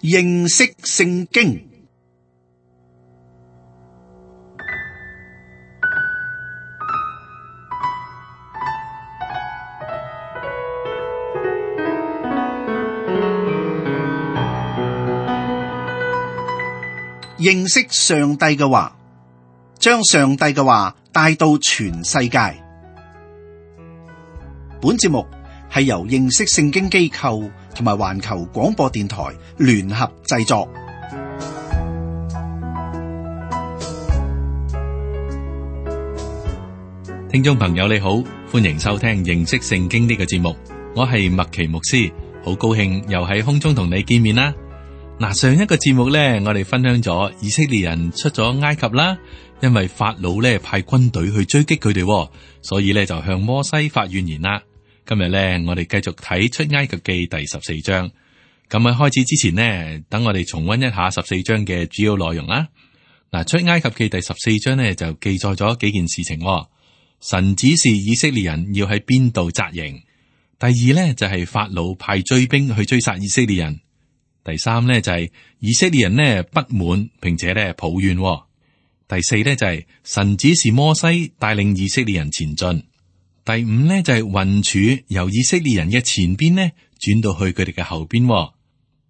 認識聖經。認識上帝嘅話，將上帝嘅話帶到全世界。本節目係由認識聖經機構同埋環球廣播電台聯合製作。聽眾朋友你好，歡迎收聽認識聖經呢個節目，我係麥奇牧師，好高興又喺空中同你見面啦。嗱，上一個節目咧，我哋分享咗以色列人出咗埃及啦，因為法老咧派軍隊去追擊佢哋，所以咧就向摩西發怨言啦。今日咧，我哋繼續睇出埃及記第14章。咁喺開始之前呢，等我哋重溫一下14章嘅主要內容啦。嗱，出埃及記第14章呢，就記載咗幾件事情。神指示以色列人要喺邊度紮營。第二呢，就係法老派追兵去追殺以色列人。第三呢，就係以色列人呢不滿，並且呢抱怨。第四呢，就係神指示摩西帶領以色列人前進。第五呢，就係雲柱由以色列人嘅前邊呢轉到去佢哋嘅後邊。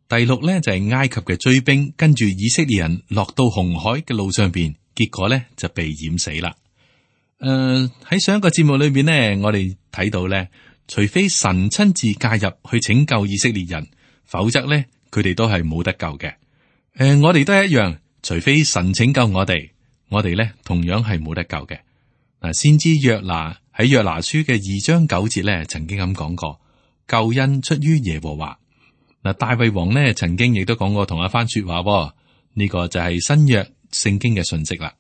第六呢，就係埃及嘅追兵跟住以色列人落到紅海嘅路上邊，結果呢就被淹死啦。喺上一個節目裏邊呢，我哋睇到呢，除非神親自介入去拯救以色列人，否則呢，佢哋都係冇得救嘅。我哋都係一樣，除非神拯救我哋咧同樣係冇得救嘅。嗱，先知約拿喺約拿書嘅2章9節咧，曾經咁講過，救恩出於耶和華。嗱，大衛王呢曾經亦都講過同一番說話，呢個就係新約聖經嘅信息啦。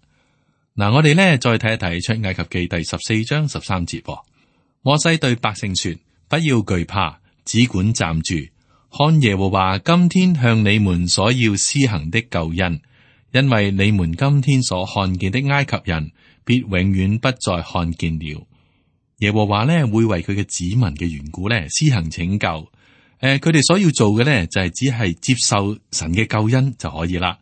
嗱，我哋咧再睇一睇出埃及記第14章13節，摩西對百姓說：不要懼怕，只管站住。看耶和華今天向你們所要施行的救恩，因為你們今天所看見的埃及人，必永遠不再看見了。耶和華呢會為佢嘅子民嘅緣故呢施行拯救。佢哋所要做嘅呢就係只係接受神嘅救恩就可以啦。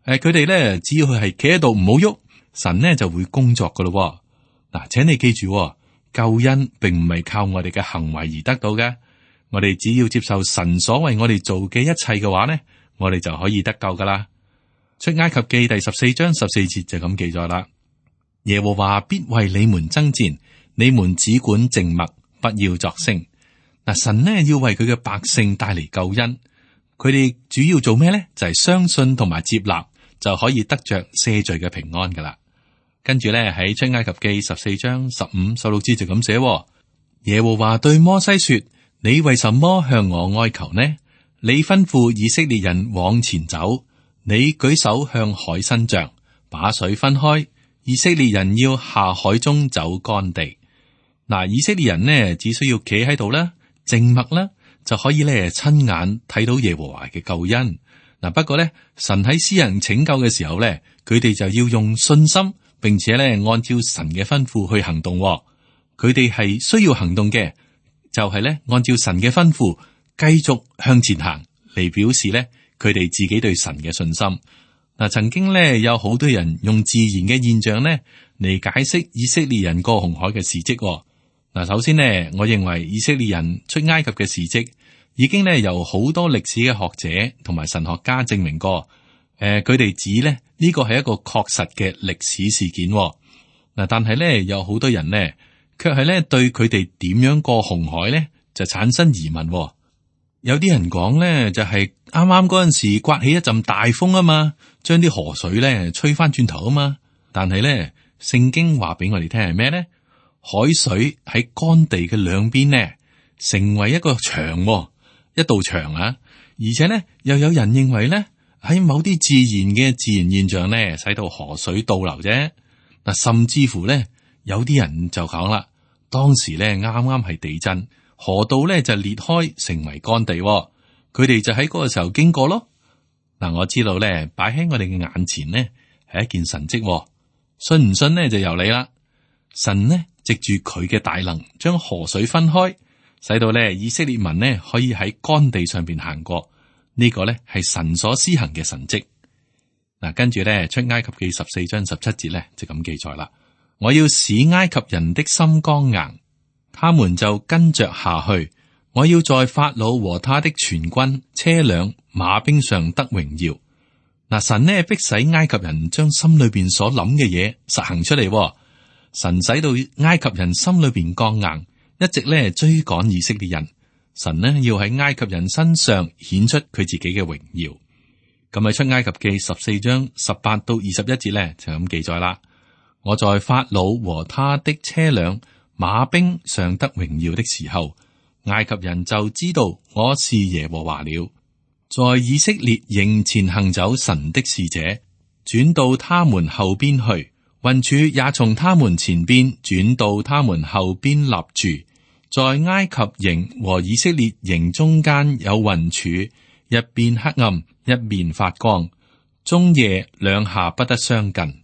佢哋呢只要佢係企喺度唔好喐，神呢就會工作噶咯。嗱，請你記住，救恩並唔係靠我哋嘅行為而得到嘅。我哋只要接受神所為我哋做嘅一切嘅話呢，我哋就可以得救噶啦。出埃及記第14章14節就咁記載啦。耶和華必為你們爭戰，你們只管靜默，不要作聲。嗱，神呢要為佢嘅百姓帶嚟救恩，佢哋主要做咩呢？就係相信同埋接納，就可以得着赦罪嘅平安噶啦。跟住呢，喺出埃及記14章15、16節就咁寫。耶和華對摩西說：你為什麼向我哀求呢？你吩咐以色列人往前走，你舉手向海伸杖，把水分開，以色列人要下海中走乾地。嗱，以色列人呢只需要企喺度啦，靜默啦，就可以咧親眼睇到耶和華嘅救恩。嗱，不過咧，神喺施行拯救嘅時候咧，佢哋就要用信心，並且咧按照神嘅吩咐去行動。佢哋係需要行動嘅。就係咧，按照神嘅吩咐，繼續向前行，嚟表示咧佢哋自己對神嘅信心。嗱，曾經咧有好多人用自然嘅現象咧嚟解釋以色列人過紅海嘅事蹟。嗱，首先呢，我認為以色列人出埃及嘅事蹟已經咧由好多歷史嘅學者同埋神學家證明過。佢哋指咧呢個係一個確實嘅歷史事件。嗱，但係咧有好多人呢，卻係咧對佢哋點樣過紅海咧就產生疑問。有啲人講咧就係啱啱嗰陣時颳起一陣大風啊嘛，將啲河水咧吹翻轉頭啊嘛。但係咧聖經話俾我哋聽係咩咧？海水喺乾地嘅兩邊呢，成為一個牆，一道牆啊！而且咧又有人認為咧喺某啲自然現象咧，使到河水倒流啫。嗱，甚至乎咧。有啲人就講啦，當時咧啱啱係地震，河道咧就裂開成為乾地，佢哋就喺嗰個時候經過咯。嗱，我知道咧擺喺我哋嘅眼前呢係一件神蹟，信唔信呢就由你啦。神呢藉住佢嘅大能，將河水分開，使到咧以色列民呢可以喺乾地上邊行過。呢個咧係神所施行嘅神蹟。嗱，跟住咧出埃及記14章17節咧就咁記載啦。我要使埃及人的心剛硬，他們就跟着下去。我要在法老和他的全軍、車輛、馬兵上得榮耀。嗱，神呢逼使埃及人將心裏邊所諗嘅嘢實行出嚟。神使到埃及人心裏邊剛硬，一直咧追趕以色列人。神呢要喺埃及人身上顯出佢自己嘅榮耀。咁喺出埃及記14章18到21節咧就咁記載啦。我在法老和他的車輛、馬兵上得榮耀的時候，埃及人就知道我是耶和華了。在以色列營前行走神的使者，轉到他們後邊去，雲柱也從他們前邊轉到他們後邊立住。在埃及營和以色列營中間有雲柱，一邊黑暗，一邊發光，終夜兩下不得相近。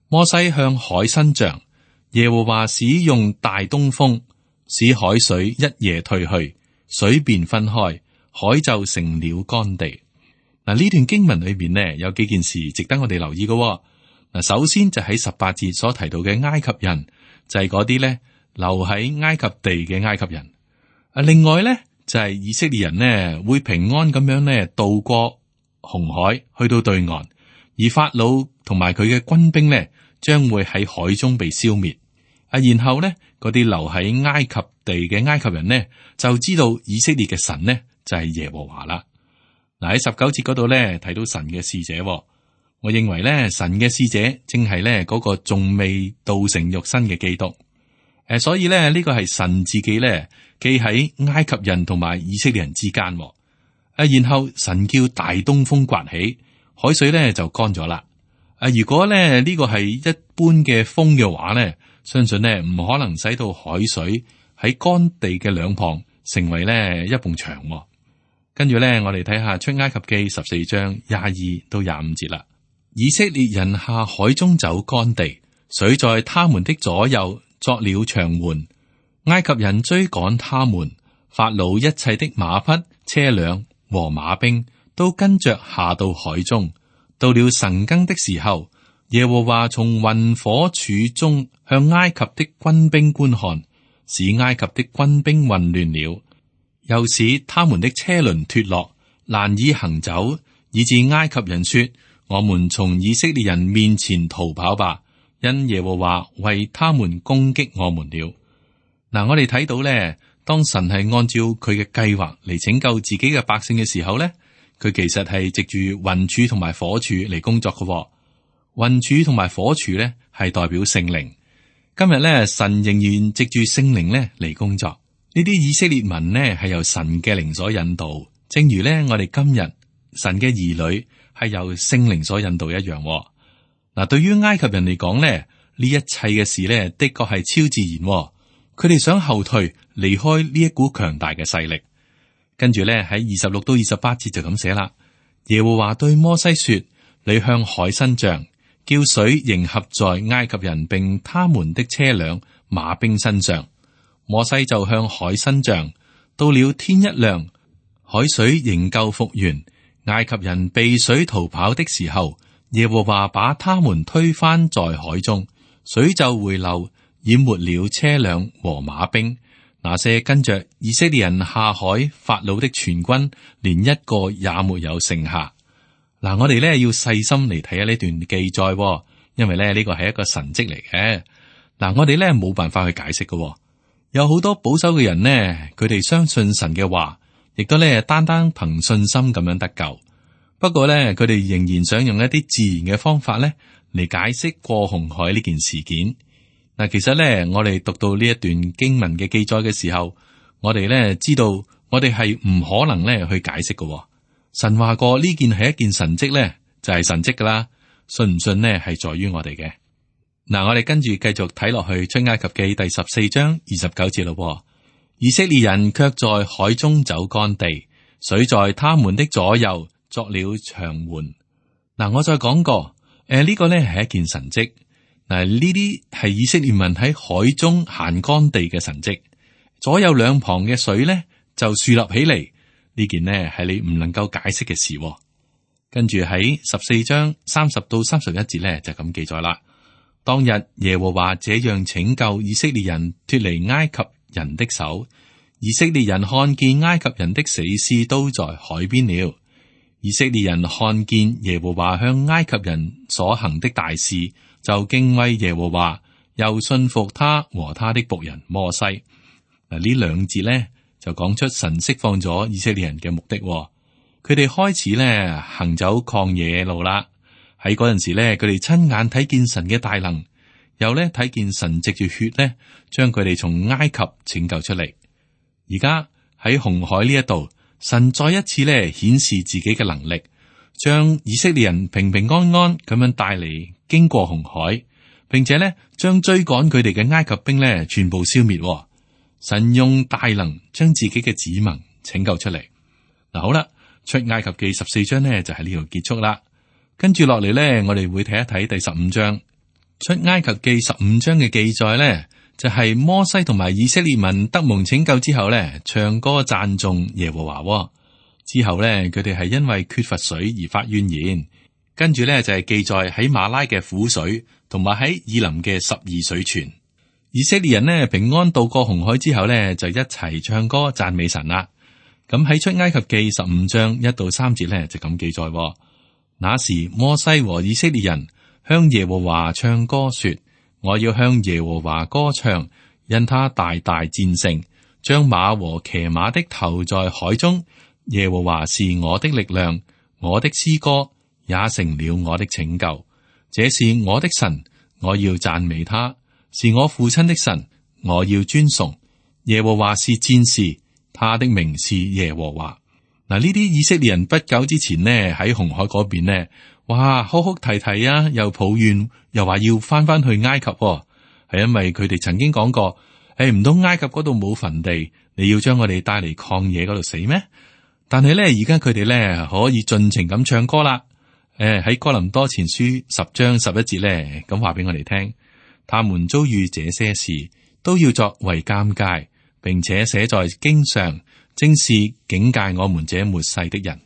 摩西向海伸杖，耶和華使用大東風，使海水一夜退去，水便分開，海就成了乾地。嗱，呢段經文裏邊呢，有幾件事值得我哋留意嘅。嗱，首先就喺18節所提到嘅埃及人，就係嗰啲咧留喺埃及地嘅埃及人。另外咧就係以色列人呢會平安咁樣呢渡過紅海去到對岸，而法老同埋佢嘅軍兵呢將會喺海中被消滅。然後咧嗰啲留喺埃及地嘅埃及人呢就知道以色列嘅神呢就係耶和華啦。嗱，喺19節嗰度咧睇到神嘅使者，我認為咧神嘅使者正係咧嗰個仲未道成肉身嘅基督。所以咧呢個係神自己咧企喺埃及人同埋以色列人之間。然後神叫大東風颳起，海水咧就乾咗啦。如果咧呢個係一般嘅風嘅話咧，相信咧唔可能使到海水喺乾地嘅兩旁成為咧一埲牆。跟住咧，我哋睇下出埃及記14章22到25節啦。以色列人下海中走乾地，水在他們的左右作了牆垣。埃及人追趕他們，法老一切的馬匹、車輛和馬兵都跟着下到海中。到了晨更的時候，耶和華從雲火柱中向埃及的軍兵觀看，使埃及的軍兵混亂了。又使他們的車輪脫落，難以行走，以致埃及人說：我們從以色列人面前逃跑吧，因耶和華為他們攻擊我們了。嗱，我哋睇到咧，當神係按照佢嘅計劃嚟拯救自己嘅百姓嘅時候咧，佢其實係藉住雲柱同埋火柱嚟工作嘅。雲柱同埋火柱咧係代表聖靈。今日咧，神仍然藉住聖靈咧嚟工作。呢啲以色列民呢係由神嘅靈所引導，正如咧我哋今日神嘅兒女係由聖靈所引導一樣。嗱，對於埃及人嚟講咧，呢一切嘅事咧的確係超自然。佢哋想後退，離開呢一股強大嘅勢力。跟住咧喺26到28節就咁寫啦。耶和華對摩西說：你向海伸杖，叫水迎合在埃及人並他們的車輛、馬兵身上。摩西就向海伸杖，到了天一亮，海水仍舊復原。埃及人避水逃跑的時候，耶和華把他們推翻在海中，水就回流，淹沒了車輛和馬兵。那些跟着以色列人下海法老的全軍，連一個也沒有剩下。嗱，我哋咧要細心嚟睇下呢段記載，因為咧呢個係一個神蹟嚟嘅。嗱，我哋咧冇辦法去解釋嘅。有好多保守嘅人呢，佢哋相信神嘅話，亦都咧單單憑信心咁樣得救。不過咧，佢哋仍然想用一啲自然嘅方法咧嚟解釋過紅海呢件事件。嗱，其實咧，我哋讀到呢一段經文嘅記載嘅時候，我哋咧知道，我哋係唔可能咧去解釋嘅。神話過呢件係一件神蹟咧，就係神蹟噶啦。信唔信呢係在於我哋嘅。嗱，我哋跟住繼續睇落去出埃及記第14章29節咯。以色列人卻在海中走乾地，水在他們的左右作了牆垣。嗱，我再講過，呢個咧係一件神蹟。嗱，呢啲係以色列民喺海中行乾地嘅神蹟。左右兩旁嘅水咧就豎立起嚟，呢件呢係你唔能夠解釋嘅事。跟住喺14章30到31節呢，就咁記載啦。當日耶和華這樣拯救以色列人脫離埃及人的手，以色列人看見埃及人的死屍都在海邊了。以色列人看見耶和華向埃及人所行的大事，就敬畏耶和華，又信服他和他的僕人摩西。嗱，呢兩節呢就講出神釋放咗以色列人嘅目的。佢哋開始呢行走曠野路啦。喺嗰陣時呢，佢哋親眼睇見神嘅大能，又呢睇見神藉住血呢將佢哋從埃及拯救出嚟。而家喺紅海呢一度，神再一次呢顯示自己嘅能力，將以色列人平平安安咁樣帶嚟經過紅海，並且呢將追趕佢哋嘅埃及兵呢全部消滅。神用大能將自己嘅子民拯救出嚟。嗱，好啦，出埃及記14章呢就喺呢度結束啦。跟住落嚟呢，我哋會睇一睇第15章。出埃及記15章嘅記載呢，就係摩西同埋以色列民得蒙拯救之後呢，唱歌讚頌耶和華。之後呢，佢哋係因為缺乏水而發怨言。跟住呢，就係記載喺馬拉嘅苦水，同埋喺以琳嘅12水泉。以色列人呢平安渡過紅海之後呢，就一齊唱歌讚美神啦。咁喺出埃及記15章1到3節呢，就咁記載。那時摩西和以色列人向耶和華唱歌說：我要向耶和華歌唱，因他大大戰勝，將馬和騎馬的投在海中。耶和華是我的力量，我的詩歌也成了我的拯救。這是我的神，我要讚美他。是我父親的神，我要尊崇。耶和華是戰士，他的名是耶和華。嗱，呢啲以色列人不久之前呢喺紅海嗰邊呢，哇，哭哭啼啼啊，又抱怨，又話要翻去埃及，係因為佢哋曾經講過，唔通埃及嗰度冇墳地，你要將我哋帶嚟曠野嗰度死咩？但係咧，而家佢哋咧可以盡情咁唱歌啦。喺哥林多前書10章11節咧，咁話俾我哋聽。他們遭遇這些事，都要作為鑑戒，並且寫在經上，正是警戒我們這末世的人。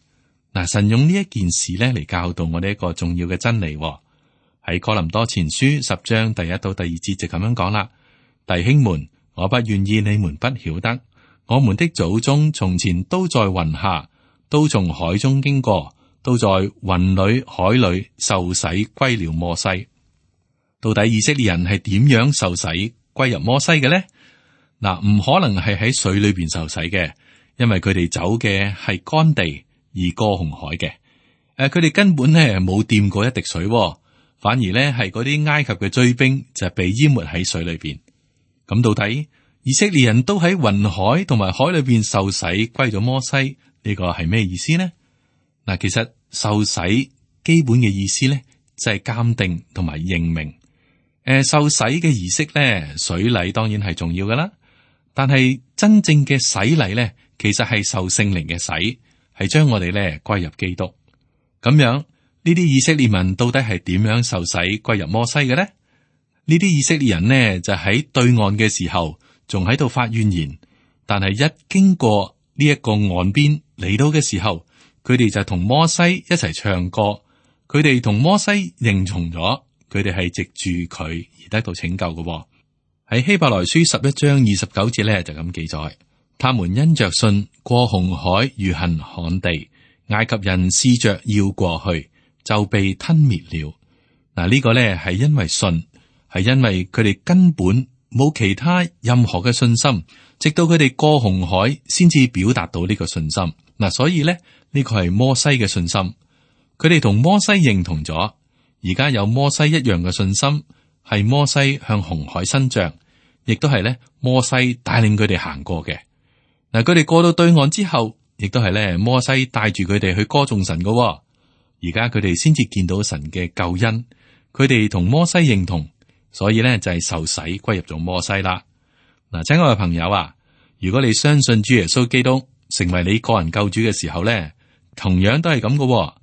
嗱，神用呢一件事咧嚟教導我哋一個重要嘅真理。喺哥林多前書10章第1到第2節就咁樣講啦：弟兄們，我不願意你們不曉得，我們的祖宗從前都在雲下，都從海中經過，都在雲裏海裏受洗歸了摩西。到底以色列人係點樣受洗歸入摩西嘅呢？嗱，唔可能係喺水裏邊受洗嘅，因為佢哋走嘅係乾地而過紅海嘅。佢哋根本咧冇掂過一滴水，反而咧係嗰啲埃及嘅追兵就被淹沒喺水裏邊。咁到底以色列人都喺雲海同埋海裏邊受洗歸咗摩西，呢個係咩意思呢？嗱，其實受洗基本嘅意思咧就係鑑定同埋認明。受洗嘅儀式咧，水禮當然係重要噶啦，但係真正嘅洗禮咧，其實係受聖靈嘅洗，係將我哋咧歸入基督。咁樣呢啲以色列民到底係點樣受洗歸入摩西嘅呢？呢啲以色列人呢就喺對岸嘅時候仲喺度發怨言，但係一經過呢一個岸邊嚟到嘅時候，佢哋就同摩西一齊唱歌，佢哋同摩西認從咗。佢哋係藉住佢而得到拯救嘅。喺希伯來書11章29節咧就咁記載：他們因着信過紅海如行旱地，埃及人試着要過去，就被吞滅了。嗱，呢個咧係因為信，係因為佢哋根本冇其他任何嘅信心，直到佢哋過紅海先至表達到呢個信心。嗱，所以咧呢個係摩西嘅信心，佢哋同摩西認同咗。而家有摩西一樣嘅信心，係摩西向紅海伸杖，亦都係咧摩西帶領佢哋行過嘅。嗱，佢哋過到對岸之後，亦都係咧摩西帶住佢哋去歌頌神嘅。而家佢哋先至見到神嘅救恩，佢哋同摩西認同，所以咧就係受洗歸入咗摩西啦。嗱，親愛嘅朋友啊，如果你相信主耶穌基督成為你個人救主嘅時候咧，同樣都係咁嘅。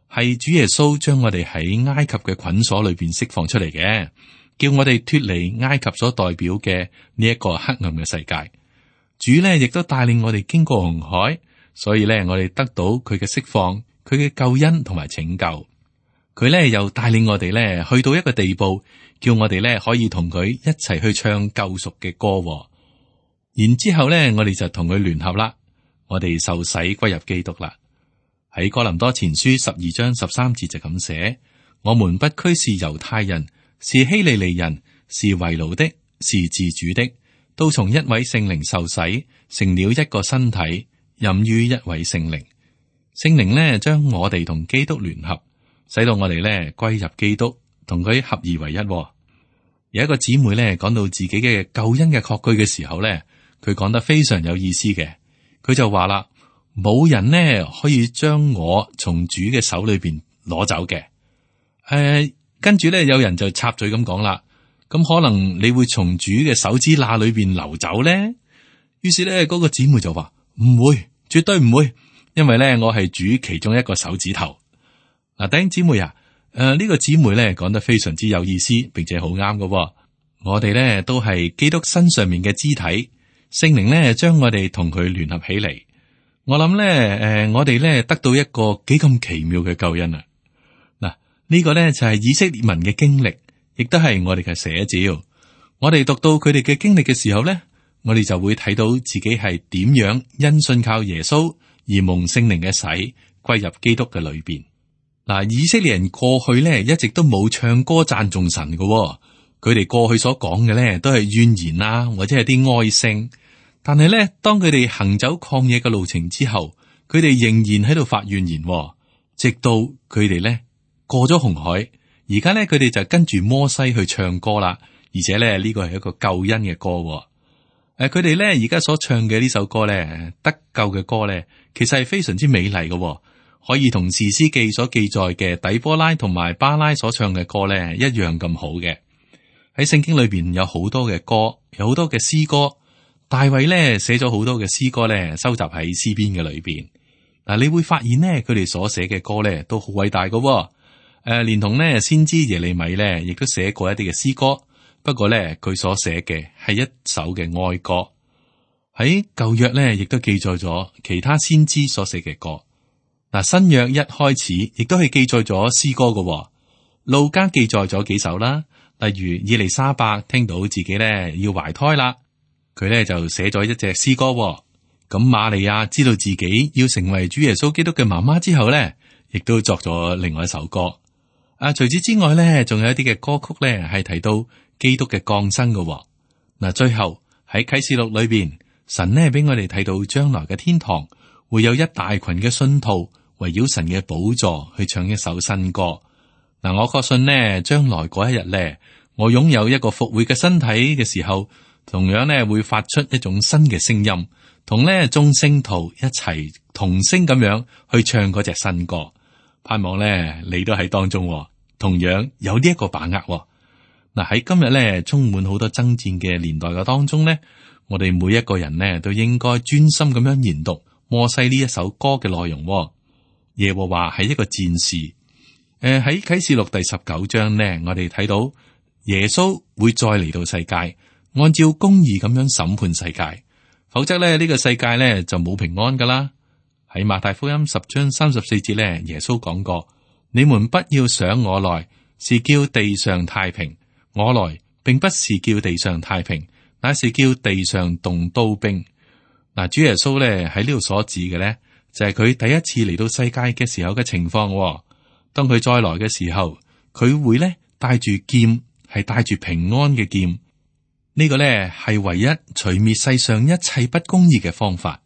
係主耶穌將我哋喺埃及嘅捆鎖裏邊釋放出嚟嘅，叫我哋脫離埃及所代表嘅呢一個黑暗嘅世界。主呢亦都帶領我哋經過紅海，所以咧我哋得到佢嘅釋放，佢嘅救恩同埋拯救。佢咧又帶領我哋咧去到一個地步，叫我哋咧可以同佢一齊去唱救贖嘅歌。然之後咧，我哋就同佢聯合啦，我哋受洗歸入基督啦。喺哥林多前書12章13節就咁寫：我們不拘是猶太人，是希利尼人，是為奴的，是自主的，都從一位聖靈受洗，成了一個身體，飲於一位聖靈。聖靈呢將我哋同基督聯合，使到我哋呢歸入基督，同佢合而為一。有一個姊妹呢講到自己嘅救恩嘅確據嘅時候呢，佢講得非常有意思嘅。佢就話啦，冇人呢可以將我從主嘅手裏邊攞走嘅。跟住呢，有人就插嘴咁講啦，咁可能你會從主嘅手指罅裏邊流走呢？於是呢，嗰個姊妹就話唔會，絕對唔會，因為呢，我係主其中一個手指頭。嗱，弟兄姊妹啊，呢個姊妹呢講得非常之有意思，並且好啱㗎。我哋呢都係基督身上面嘅肢體，聖靈呢將我哋同佢聯合起嚟。我諗呢，我哋呢得到一個幾咁奇妙嘅救恩啊！嗱，呢個呢就係以色列民嘅經歷，亦都係我哋嘅寫照。我哋讀到佢哋嘅經歷嘅時候呢，我哋就會睇到自己係點樣因信靠耶穌而蒙聖靈嘅洗，歸入基督嘅裏邊。嗱，以色列人過去呢一直都冇唱歌讚頌神嘅，佢哋過去所講嘅呢都係怨言啊，或者係啲哀聲。但係咧，當佢哋行走曠野嘅路程之後，佢哋仍然喺度發怨言，直到佢哋咧過咗紅海。而家咧，佢哋就跟住摩西去唱歌啦，而且咧呢個係一個救恩嘅歌。佢哋咧而家所唱嘅呢首歌咧，得救嘅歌咧，其實係非常之美麗嘅，可以同士師記所記載嘅底波拉同埋巴拉所唱嘅歌咧一樣咁好嘅。喺聖經裏邊有好多嘅歌，有好多嘅詩歌。大衛咧寫咗好多嘅詩歌咧，收集喺詩篇嘅裏邊。嗱，你會發現呢，佢哋所寫嘅歌咧都好偉大嘅。連同呢先知耶利米咧，亦都寫過一啲嘅詩歌。不過咧，佢所寫嘅係一首嘅哀歌。喺舊約咧，亦都記載咗其他先知所寫嘅歌。嗱，新約一開始亦都係記載咗詩歌嘅。路加記載咗幾首啦，例如以利沙伯聽到自己咧要懷胎啦。佢咧就寫咗一隻詩歌。咁瑪利亞知道自己要成為主耶穌基督嘅媽媽之後咧，亦都作咗另外一首歌。除此之外咧，仲有一啲嘅歌曲咧係提到基督嘅降生嘅。嗱，最後喺啟示錄裏邊，神呢俾我哋睇到將來嘅天堂會有一大群嘅信徒圍繞神嘅寶座去唱一首新歌。嗱，我確信呢，將來嗰一日咧，我擁有一個復活嘅身體嘅時候，同樣咧會發出一種新嘅聲音，同咧眾聖徒一齊同聲咁樣去唱嗰隻新歌。盼望咧你都喺當中，同樣有呢一個把握。嗱，喺今日咧充滿好多爭戰嘅年代嘅當中咧，我哋每一個人呢都應該專心咁樣研讀摩西呢一首歌嘅內容。耶和華係一個戰士。喺啟示錄第19章呢，我哋睇到耶穌會再嚟到世界。按照公義咁樣審判世界，否則咧呢個世界咧就冇平安噶啦。喺馬太福音10章34節咧，耶穌講過：你們不要想我來是叫地上太平，我來並不是叫地上太平，乃是叫地上動刀兵。嗱，主耶穌咧喺呢度所指嘅咧，就係佢第一次嚟到世界嘅時候嘅情況。當佢再來嘅時候，佢會咧帶住劍，係帶住平安嘅劍。呢個咧係唯一除滅世上一切不公義嘅方法。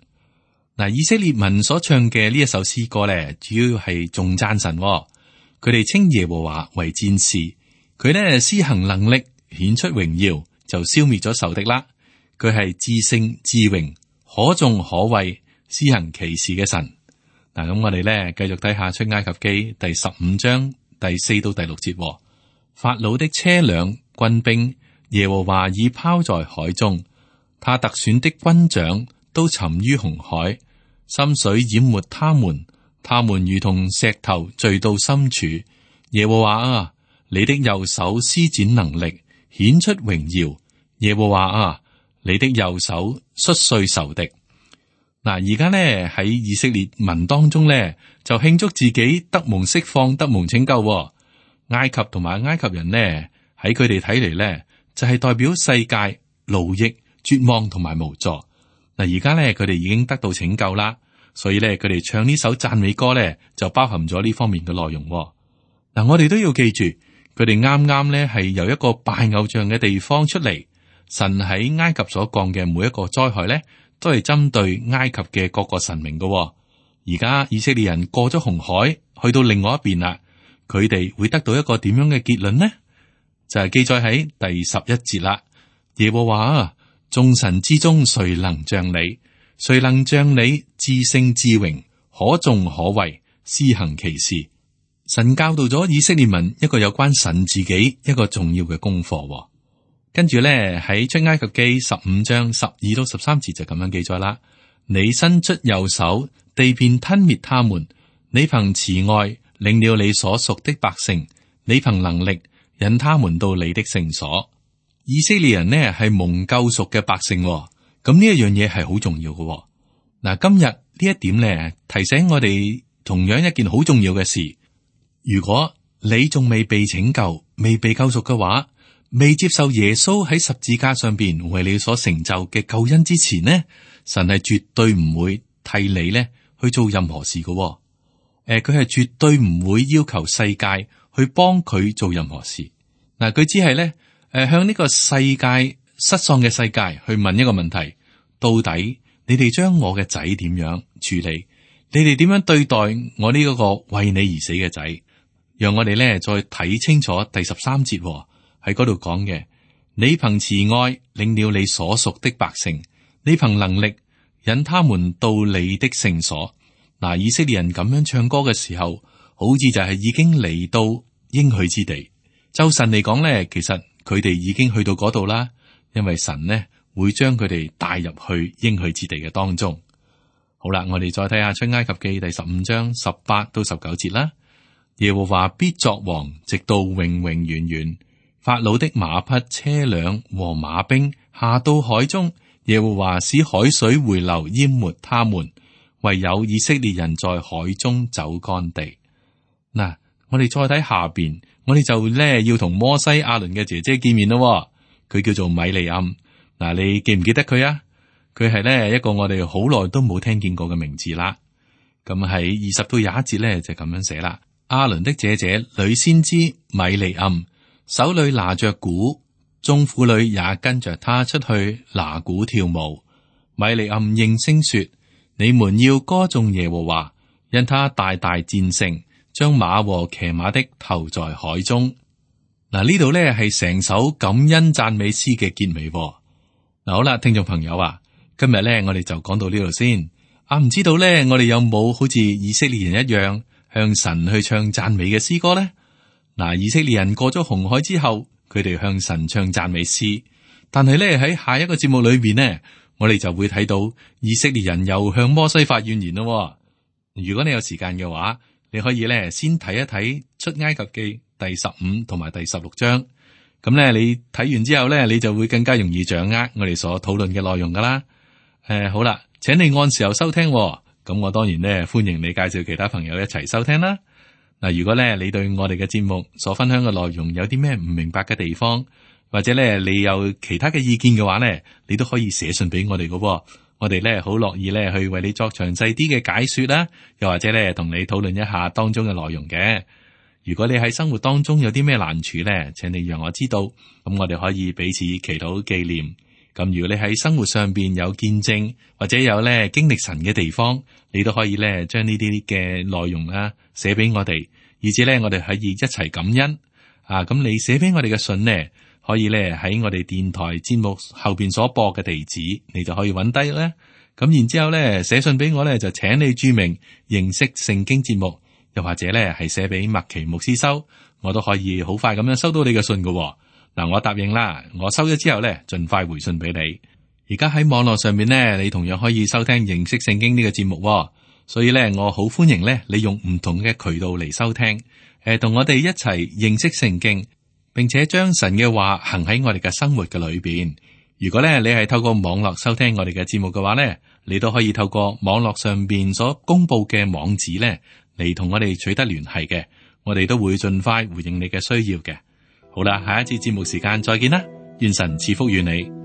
嗱，以色列民所唱嘅呢一首詩歌咧，主要係頌讚神。佢哋稱耶和華為戰士，佢咧施行能力，顯出榮耀，就消滅咗仇敵啦。佢係至聖至榮，可頌可畏，施行奇事嘅神。嗱，咁我哋咧繼續睇下出埃及記第15章第4到第6節。法老的車輛、軍兵，耶和華已拋在海中，他特選的軍長都沉於紅海，深水淹沒他們，他們如同石頭墜到深處。耶和華啊，你的右手施展能力，顯出榮耀。耶和華啊，你的右手摔碎仇敵。嗱，而家咧喺以色列民當中咧，就慶祝自己得蒙釋放、得蒙拯救。埃及同埋埃及人呢，喺佢哋睇嚟咧，就係代表世界奴役、絕望同埋無助。嗱，而家咧佢哋已經得到拯救啦，所以咧佢哋唱呢首讚美歌咧，就包含咗呢方面嘅內容。嗱，我哋都要記住，佢哋啱啱咧係由一個拜偶像嘅地方出嚟，神喺埃及所降嘅每一個災害咧，都係針對埃及嘅各個神明嘅。而家以色列人過咗紅海，去到另外一邊啦，佢哋會得到一個點樣嘅結論呢？就係記載喺第11節啦。耶和華啊，眾神之中誰能像你？誰能像你至聖至榮，可頌可畏，施行奇事？神教導咗以色列民一個有關神自己一個重要嘅功課。跟住咧喺出埃及記15章12到13節就咁樣記載啦。你伸出右手，地便吞滅他們；你憑慈愛領了你所屬的百姓，你憑能力引他們到你的聖所。以色列人呢係蒙救贖嘅百姓，咁呢一樣嘢係好重要嘅。嗱，今日呢一點呢提醒我哋同樣一件好重要嘅事。如果你仲未被拯救、未被救贖嘅話，未接受耶穌喺十字架上邊為你所成就嘅救恩之前呢，神係絕對唔會替你呢去做任何事嘅。佢係絕對唔會要求世界去幫佢做任何事。嗱，佢只係咧向呢個世界失喪嘅世界去問一個問題：到底你哋將我嘅仔點樣處理？你哋點樣對待我呢一個為你而死嘅仔？讓我哋咧再睇清楚第13節喺嗰度講嘅，你憑慈愛領了你所屬的百姓，你憑能力引他們到你的聖所。嗱，以色列人咁樣唱歌嘅時候，好似就係已經嚟到應許之地。就神嚟講咧，其實佢哋已經去到嗰度啦，因為神呢會將佢哋帶入去應許之地嘅當中。好啦，我哋再睇下出埃及記第15章18到19節啦。耶和華必作王，直到永永遠遠。法老的馬匹、車輛和馬兵下到海中，耶和華使海水回流淹沒他們，唯有以色列人在海中走乾地。嗱，我哋再睇下邊，我哋就咧要同摩西亞倫嘅姐姐見面咯。佢叫做米利暗。嗱，你記唔記得佢啊？佢係咧一個我哋好耐都冇聽見過嘅名字啦。咁喺20到21節咧就咁樣寫啦。亞倫的姐姐女先知米利暗，手裏拿着鼓，眾婦女也跟着他出去拿鼓跳舞。米利暗應聲說：你們要歌頌耶和華，因他大大戰勝，將馬和騎馬的投在海中。嗱，呢度咧係成首感恩讚美詩嘅結尾。嗱，好啦，聽眾朋友啊，今日咧我哋就講到呢度先。唔知道咧我哋有冇好似以色列人一樣向神去唱讚美嘅詩歌呢？嗱，以色列人過咗紅海之後，佢哋向神唱讚美詩，但係咧喺下一個節目裏邊呢，我哋就會睇到以色列人又向摩西發怨言咯。如果你有時間嘅話，你可以咧先睇一睇出埃及記第15同埋第16章，咁咧你睇完之後咧，你就會更加容易掌握我哋所討論嘅內容噶啦。好啦，請你按時候收聽。咁我當然咧歡迎你介紹其他朋友一齊收聽啦。嗱，如果咧你對我哋嘅節目所分享嘅內容有啲咩唔明白嘅地方，或者咧你有其他嘅意見嘅話咧，你都可以寫信俾我哋嘅。我哋咧好樂意咧去為你作詳細啲嘅解說啦，又或者咧同你討論一下當中嘅內容嘅。如果你喺生活當中有啲咩難處咧，請你讓我知道，咁我哋可以彼此祈禱紀念。咁如果你喺生活上邊有見證，或者有咧經歷神嘅地方，你都可以咧將呢啲嘅內容啦寫俾我哋，以至咧我哋可以一齊感恩。咁你寫俾我哋嘅信呢，可以咧喺我哋電台節目後邊所播嘅地址，你就可以揾低咧。咁然之後咧寫信俾我咧，就請你注明認識聖經節目，又或者咧係寫俾麥奇牧師收，我都可以好快咁樣收到你嘅信㗎。嗱，我答應啦，我收咗之後咧，盡快回信俾你。而家喺網絡上面咧，你同樣可以收聽認識聖經呢個節目，所以咧，我好歡迎咧，你用唔同嘅渠道嚟收聽，同我哋一齊認識聖經，並且將神嘅話行喺我哋嘅生活嘅裏邊。如果咧你係透過網絡收聽我哋嘅節目嘅話咧，你都可以透過網絡上邊所公布嘅網址咧嚟同我哋取得聯繫嘅，我哋都會盡快回應你嘅需要嘅。好啦，下一次節目時間再見啦，願神賜福與你。